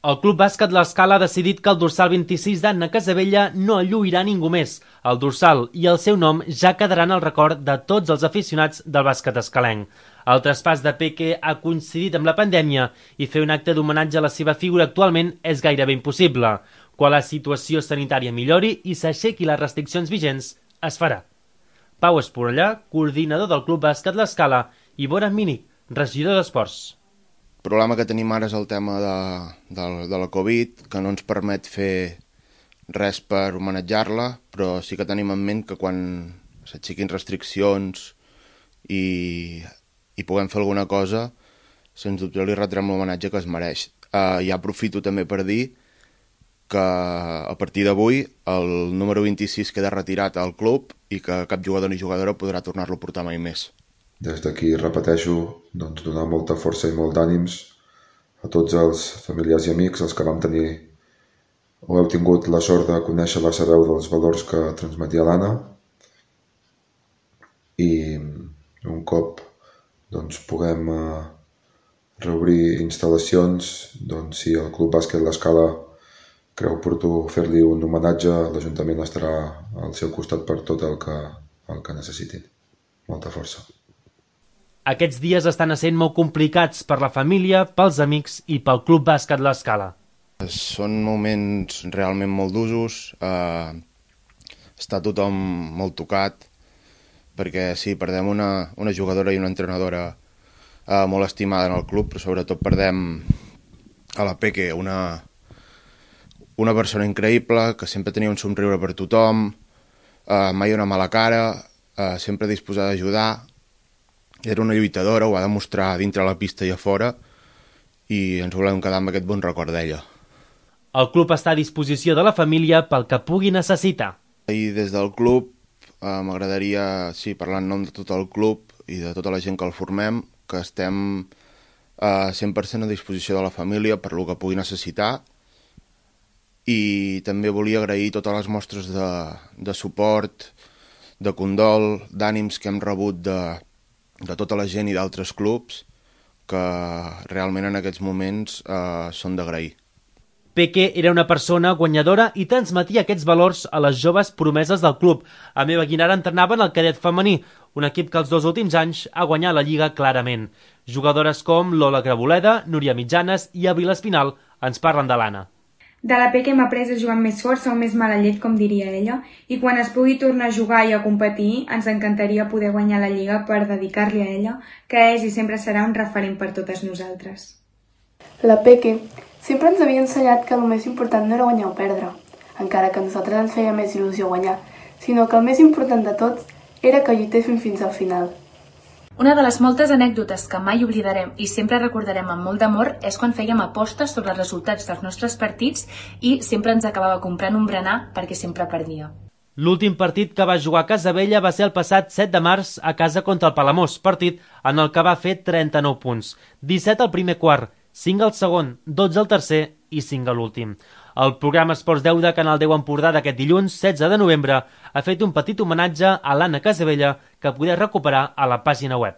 El Club Bàsquet L'Escala ha decidit que el dorsal 26 d'Anna Casabella no el lluirà ningú més. El dorsal i el seu nom ja quedaran al record de tots els aficionats del bàsquet escalenc. El traspàs de Peque ha coincidit amb la pandèmia i fer un acte d'homenatge a la seva figura actualment és gairebé impossible. Quan la situació sanitària millori i s'aixequi les restriccions vigents, es farà. Pau Esporellà, coordinador del Club Bàsquet L'Escala, i Boran Mínic, regidor d'Esports. El problema que tenim ara és el tema de la Covid, que no ens permet fer res per homenatjar-la, però sí que tenim en ment que quan s'aixequin restriccions i puguem fer alguna cosa, sens dubte li retrem l'homenatge que es mereix. Ja aprofito també per dir que a partir d'avui el número 26 queda retirat al club i que cap jugador ni jugadora podrà tornar-lo a portar mai més. Des d'aquí repeteixo donar molta força i molt d'ànims a tots els familiars i amics, els que vam tenir o heu tingut la sort de conèixer la sabeu dels valors que transmetia l'Anna, i un cop puguem reobrir instal·lacions, si el Club Bàsquet L'Escala creu oportú fer-li un homenatge, l'Ajuntament estarà al seu costat per tot el que necessitin. Molta força. Aquests dies estan essent molt complicats per la família, pels amics i pel Club Bàsquet L'Escala. Són moments realment molt d'usos, està tothom molt tocat, perquè sí, perdem una jugadora i una entrenadora molt estimada en el club, però sobretot perdem a la Peque, una persona increïble, que sempre tenia un somriure per tothom, mai una mala cara, sempre disposada a ajudar. Era una lluitadora, ho va demostrar dintre la pista i a fora, i ens volem quedar amb aquest bon record d'ella. El club està a disposició de la família pel que pugui necessitar. I des del club m'agradaria, parlar en nom de tot el club i de tota la gent que el formem, que estem 100% a disposició de la família per lo que pugui necessitar, i també volia agrair totes les mostres de suport, de condol, d'ànims que hem rebut de tota la gent i d'altres clubs, que realment en aquests moments són d'agrair. Peque era una persona guanyadora i transmetia aquests valors a les joves promeses del club. A Meva Guinara entrenava en el cadet femení, un equip que els 2 últims anys ha guanyat la Lliga clarament. Jugadores com Lola Graboleda, Núria Mitjanes i Abril Espinal ens parlen de l'Anna. De la Peque hem après a jugar amb més força o més mala llet, com diria ella, i quan es pugui tornar a jugar i a competir, ens encantaria poder guanyar la Lliga per dedicar-li a ella, que és i sempre serà un referent per totes nosaltres. La Peque sempre ens havia ensenyat que el més important no era guanyar o perdre, encara que a nosaltres ens feia més il·lusió guanyar, sinó que el més important de tot era que lluitéssim fins al final. Una de les moltes anècdotes que mai oblidarem i sempre recordarem amb molt d'amor és quan fèiem apostes sobre els resultats dels nostres partits i sempre ens acabava comprant un berenar perquè sempre perdia. L'últim partit que va jugar a Casabella va ser el passat 7 de març a casa contra el Palamós, partit en el que va fer 39 punts, 17 al primer quart, 5 al segon, 12 al tercer i 5 a l'últim. El programa Esports 10 de Canal 10 Empordà d'aquest dilluns, 16 de novembre, ha fet un petit homenatge a l'Anna Casabella que podeu recuperar a la pàgina web.